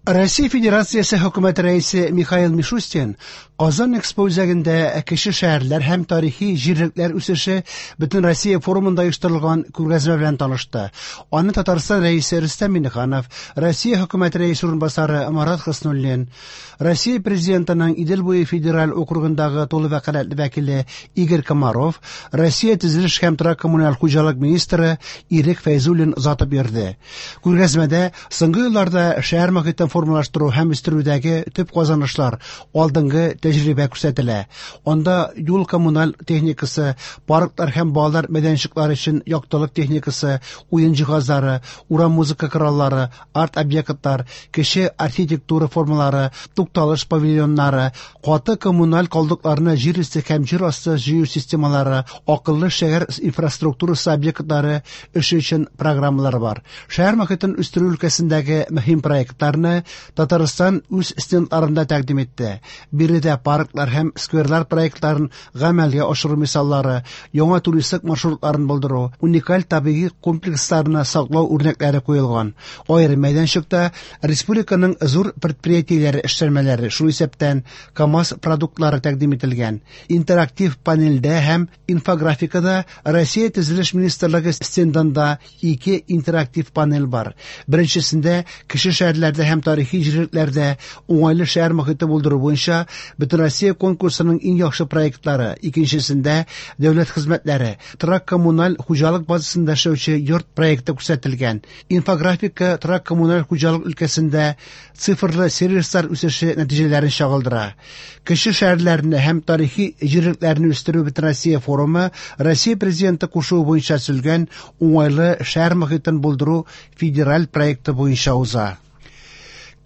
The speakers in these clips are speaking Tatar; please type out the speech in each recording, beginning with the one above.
Россия Федерациясе Хөкүмәте Рәисе Михаил Мишустин Казан Экспо үзәгендә кече шәһәрләр һәм тарихи җирлекләр үсеше Бөтенроссия форумында оештырылган күргәзмә белән танышты. Аны Татарстан Рәисе Рөстәм Миңнеханов, Россия Хөкүмәте Рәисе урынбасары Марат Хөснуллин, Россия Президентының Идел буе федераль округындагы тулы вәкаләтле вәкиле Игорь Комаров, Россия төзелеш һәм торак-коммуналь хуҗалык министры Ирек Фәйзуллин озатып йөрде. Күргәзмәдә соңгы елларда шәһәр мохитен формалаштыру һәм үстерүдәге төп казанышлар, алдынгы тәҗрибә күрсәтелә. Анда юл коммуналь техникасы, парклар һәм балалар мәйданчыклары өчен яктылык техникасы, уен җиһазлары, урам музыка кораллары, арт-объектлар, кече архитектура формалары, тукталыш павильоннары, каты коммуналь калдыкларны җир өсте һәм җир асты җыю системалары, акыллы шәһәр инфраструктурасы объектлары эше өчен программалар бар. Шәһәр мохитен үстерү өлкәсендәге мөһим проектларны Татарстан үз стендларында тәкъдим итте. Биредә парклар һәм скверлар проектларын гамәлгә ашыру мисаллары, яңа туристик маршрутларын булдыру, уникаль табигый комплексларны саклау үрнәкләре куелган. Аерым мәйданчыкта республиканың зур предприятиеләре эшләнмәләре, шул исәптән КАМАЗ продуктлары тәкъдим ителгән. Интерактив панельдә һәм инфографикада Россия Төзелеш министрлыгы стендында ике интерактив панель бар. Беренчесендә кече шәһәрләрдә һәм тарихи җирлекләрдә уңайлы шәһәр мохите булдыру буенча Бөтенроссия конкурсының иң яхшы проектлары, икенчесендә дәүләт хезмәтләре, торак-коммуналь хуҗалык базасында эшләүче йорт проекты күрсәтелгән. Инфографика торак-коммуналь хуҗалык өлкәсендә цифрлы сервислар үсеше нәтиҗәләрен чагылдыра. Кече шәһәрләрне һәм тарихи җирлекләрне үстерү Бөтенроссия форумы Россия Президенты кушуы буенча төзелгән уңайлы шәһәр мохитен булдыру федераль проекты буенча уза.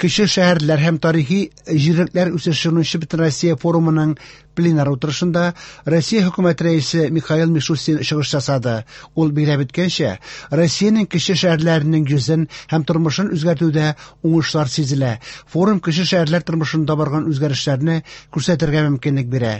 Кече шәһәрләр һәм тарихи җирлекләр үсеше 10нчы Бөтенроссия форумының пленар утырышында Россия Хөкүмәте Рәисе Михаил Мишустин чыгыш ясады. Ул билгеләп үткәнчә, Россиянең кече шәһәрләренең йөзен һәм тормышын үзгәртүдә уңышлар сизелә. Форум кече шәһәрләр тормышында барган үзгәрешләрне күрсәтергә мөмкинлек бирә.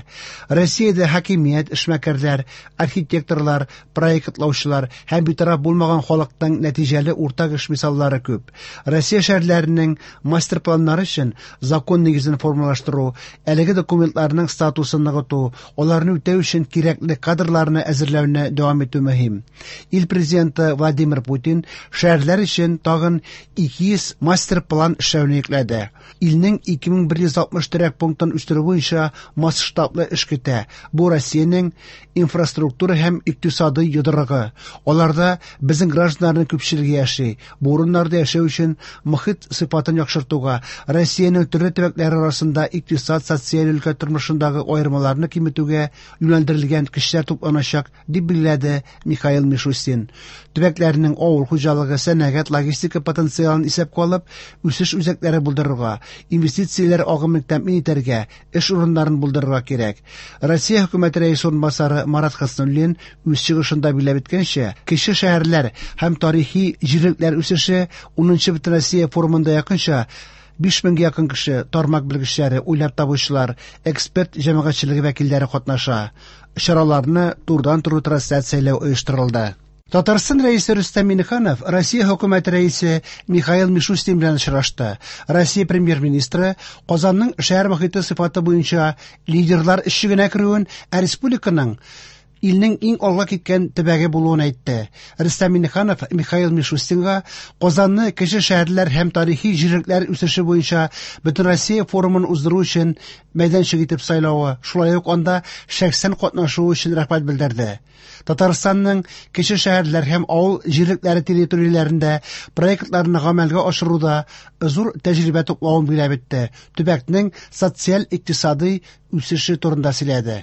Россиядә хакимият, эшмәкәрләр, архитекторлар, проектлаучылар һәм битараф булмаган халыкның нәтиҗәле уртак эш мисаллары күп. Россия шәһәрләренең мастер-планнары өчен закон нигезен формалаштыру, әлеге документларның статусын ныгыту, аларны үтәү өчен кирәкле кадрларны әзерләүне дәвам итү мөһим. Ил президенты Владимир Путин шәһәрләр өчен тагын 200 мастер-план эшләүне йөкләде. Илнең 2160 торак пунктын үстерү буенча масштаблы эш көтә. Бу Россиянең инфраструктура һәм икътисадый йодрыгы. Аларда безнең гражданнарның күпчелеге яши. Бу урыннарда яшәү өчен мохит сыйфатын яхшыртуга, Россиянең төрле төбәкләре арасында икътисад, социаль өлкә тормышындагы аермаларны киметүгә юнәлдерелгән көчләр тупланачак, дип билгеләде Михаил Мишустин. Төбәкләрнең авыл хуҗалыгы, сәнәгать, логистика потенциалын исәпкә алып, үсеш үзәкләре булдырырга, инвестицияләр агымын тәэмин итәргә, эш урыннарын булдырырга кирәк. Россия Хөкүмәте Рәисе урынбасары Марат Хөснуллин үз чыгышында билгеләп үткәнчә, кече шәһәрләр һәм тарихи җирлекләр үсеше 10нчы Бөтенроссия форумында якынча 5000гә якын кеше, тармак белгечләре, уйлап табучылар, эксперт җәмәгатьчелеге вәкилләре катнаша. Чараларны турыдан-туры трансляцияләү оештырылды. Татарстан Рәисе Рөстәм Миңнеханов Россия Хөкүмәте Рәисе Михаил Мишустин белән очрашты. Россия Премьер-министры Казанның шәһәр мохите сыйфаты буенча лидерлар өчлегенә керүен, ә республиканың илнең иң алга киткән төбәге булуын әйтте. Рөстәм Миңнеханов Михаил Мишустинга Казанны кече шәһәрләр һәм тарихи җирлекләр үсеше буенча Бөтенроссия форумын уздыру өчен мәйданчык итеп сайлавы, шулай ук анда шәхсән катнашуы өчен рәхмәт белдерде. Татарстанның кече шәһәрләр һәм авыл җирлекләре территорияләрендә проектларны гамәлгә ашыруда зур тәҗрибә туплавын билгеләп үтте. Төбәкнең социаль-икътисадый үсеше турында сөйләде.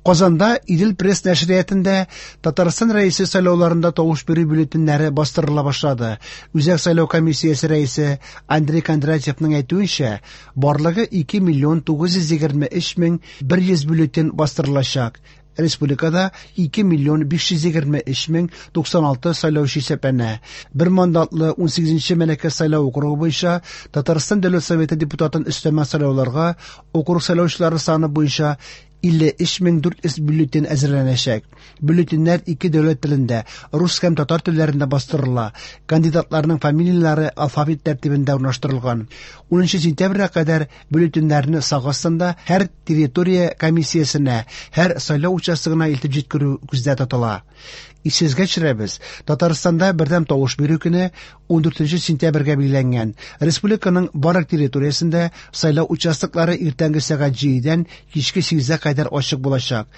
Казанда Идел пресс нәшриятында Татарстан Рәисе сайлауларында тавыш бирү бюллетеньнәре бастырыла башлады. Үзәк сайлау комиссиясе рәисе Андрей Кондратьевның әйтүенчә, барлыгы 2 миллион 923 мең 100 бюллетень бастырылачак. Республикада 2 миллион 523 мең 96 сайлаучы исәпләнә. Бер мандатлы 18нче Мәләкәс сайлау округы буенча Татарстан Дәүләт Советы депутатын өстәмә сайлауларга округ сайлаучылары саны буенча 53 400 бюллетень әзерләнәчәк. Бюллетеньнәр ике дәүләт телендә, рус һәм татар телләрендә бастырыла. Кандидатларның фамилияләре алфавит тәртибендә урнаштырылган. 10 сентябрьгә кадәр бюллетеньнәрне сак астында һәр территория комиссиясенә, һәр сайлау участогына илтеп җиткерү күздә тотыла. Исегезгә төшерәбез, Татарстанда бердәм тавыш бирү көне 14 сентябрьгә билгеләнгән. Республиканың барлык территориясендә сайлау участоклары иртәнге сәгать 7-дән кичке 8-гә кадәр ачык булачак.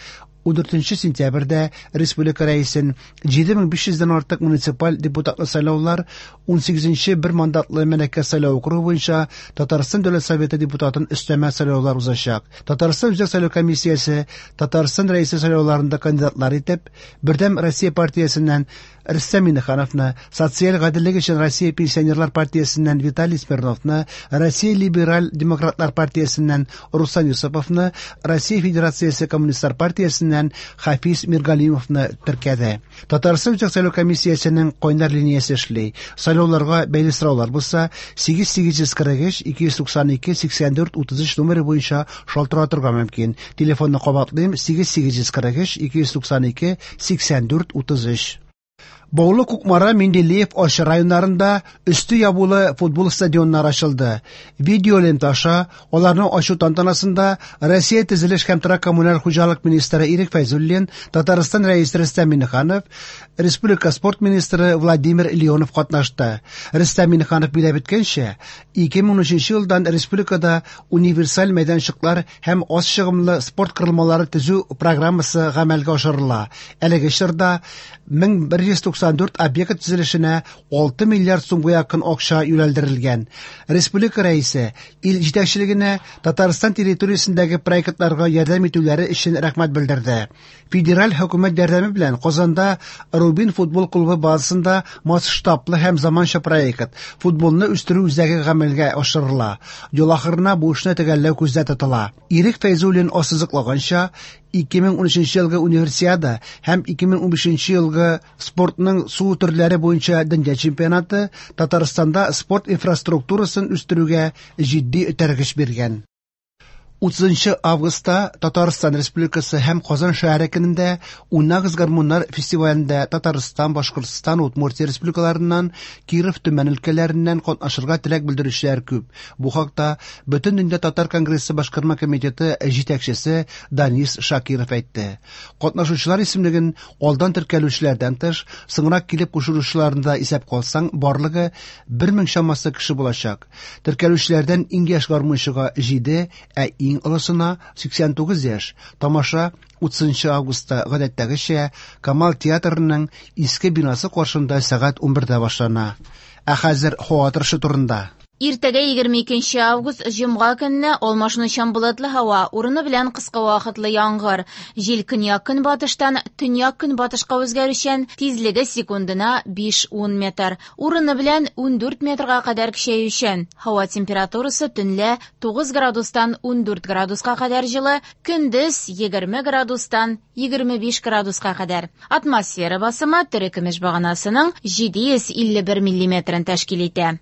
14 сентябрьдә республика рәисен 7500 дән артык муниципаль депутатлы сайлаулар, 18 бер мандатлы Мәләкәс сайлау округы буенча Татарстан Дәүләт Советы депутатын өстәмә сайлаулар узачак. Татарстан Үзәк сайлау комиссиясе Татарстан Рәисе сайлауларында кандидатлар итеп Бердәм Россия партиясеннән Рөстәм Миңнехановны, Социаль гаделлек өчен Россия пенсионерлар партиясеннән Виталий Смирновны, Россия либераль демократлар партиясеннән Руслан Юсуповны, Россия Федерациясе коммунистлар партиясеннән Хафиз Миргалимовны теркәде. Татарстан Үзәк сайлау комиссиясенең кайнар линиясе эшли. Сайлауларга бәйле сораулар булса, 8843 292 84 33 номеры буенча шалтыратырга мөмкин. Телефонны кабатлыйм: 8843 292 84 33. Баулы, Кукмара, Менделеев, Арча районнарында өсте ябулы футбол стадионнары ачылды. Видеолента аша аларны ачу тантанасында Россия төзелеш һәм торак коммуналь хуҗалык министры Ирек Фәйзуллин, Татарстан Рәисе Рөстәм Миңнеханов, республика спорт министры Владимир Леонов катнашты. Рөстәм Миңнеханов билгеләп үткәнчә, 2013 елдан республикада универсаль мәйданчыклар һәм аз чыгымлы спорт корылмалары төзү программасы гамәлгә ашырыла. Әлеге чорда 1194 объект төзелешенә 6 миллиард сумга якын акча юнәлдерелгән. Республика Рәисе ил җитәкчелегенә Татарстан территориясендәге проектларга ярдәм итүләре өчен рәхмәт белдерде. Федераль хөкүмәт ярдәме белән Казанда Рубин футбол клубы базасында масштаблы һәм заманча проект футболны үстерү үзәге гамәлгә ашырыла. Ел ахырына бу эшне төгәлләү күздә тотыла. Ирек Фәйзуллин ассызыклаганча, 2013 елгы Универсиада һәм 2015 елгы спортның су төрләре буенча дөнья чемпионаты Татарстанда спорт инфраструктурасын үстерүгә җитди этәргеч биргән. 30 августта Татарстан Республикасы һәм Казан шәһәре көнендә Уйнагыз гармуннар фестивалендә Татарстан, Башкортстан, Удмуртия республикаларыннан, Киров, Төмән өлкәләреннән катнашырга теләк белдерүчеләр күп. Бу хакта Бөтендөнья татар конгрессы башкарма комитеты җитәкчесе Данис Шакиров әйтте. Катнашучылар исемлеген алдан теркәлүчеләрдән тыш, соңрак килеп кушылучыларны да исәпкә алсаң, барлыгы 1000 чамасы кеше булачак. Теркәлүчеләрдән иң яшь гармунчыга 7, ә иң олысына 89 яшь. Тамаша 30 августта гадәттәгечә Камал театрының иске бинасы каршында сәгать 11дә башлана. Ә хәзер һава торышы турында. Иртәгә 22 август җомга көнне алмашынучан болытлы һава, урыны белән кыска вакытлы яңгыр. Җил көньяк-көнбатыштан төньяк-көнбатышка үзгәрүчән, тизлеге секундына 5-10 метр. Урыны белән 14 метрга кадәр көчәючән. Һава температурасы төнлә 9 градустан 14 градуска кадәр җылы, көндез 20 градустан 25 градуска кадәр. Атмосфера басымы терекөмеш баганасының 751 миллиметрын тәшкил итә.